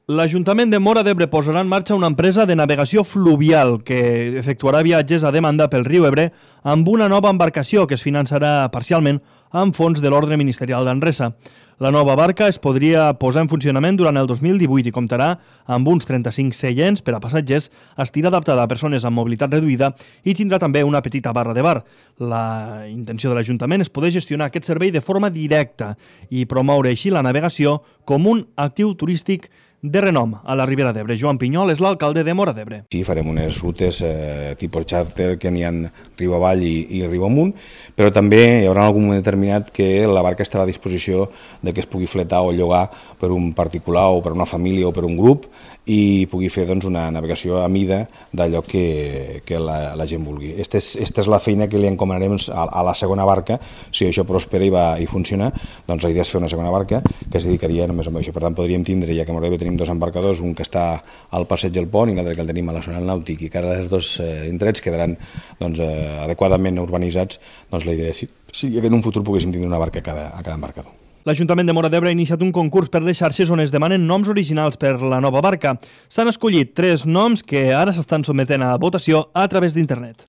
L'Ajuntament de Móra d'Ebre posarà en marxa una empresa de navegació fluvial que efectuarà viatges a demanda pel riu Ebre amb una nova embarcació que es finançarà parcialment amb fons de l'ordre ministerial d'Anresa. La nova barca es podria posar en funcionament durant el 2018 i comptarà amb uns 35 seients per a passatgers, estirà adaptada a persones amb mobilitat reduïda i tindrà també una petita barra de bar. La intenció de l'Ajuntament és poder gestionar aquest servei de forma directa i promoure així la navegació com un actiu turístic de renom a la Ribera d'Ebre. Joan Pinyol és l'alcalde de Móra d'Ebre. Sí, farem unes rutes tipus charter que n'hi ha riu avall i riu amunt, però també hi haurà algun moment determinat que la barca estarà a disposició de que es pugui fletar o llogar per un particular o per una família o per un grup i pugui fer una navegació a mida d'allò que la gent vulgui. Esta és la feina que li encomanarem a la segona barca. Si això prospera i funciona, doncs la idea és fer una segona barca que es dedicaria només a això. Per tant, podríem tindre, ja que a Móra d'Ebre tenim dos embarcadors, un que està al passeig del Pont i l'altre que el tenim a la zona del Nàutic, i que ara els dos indrets quedaran adequadament urbanitzats, doncs la idea és que en un futur poguéssim tindre una barca a cada embarcador. L'Ajuntament de Móra d'Ebre ha iniciat un concurs per les xarxes on es demanen noms originals per la nova barca. S'han escollit 3 noms que ara s'estan sotmetent a votació a través d'internet.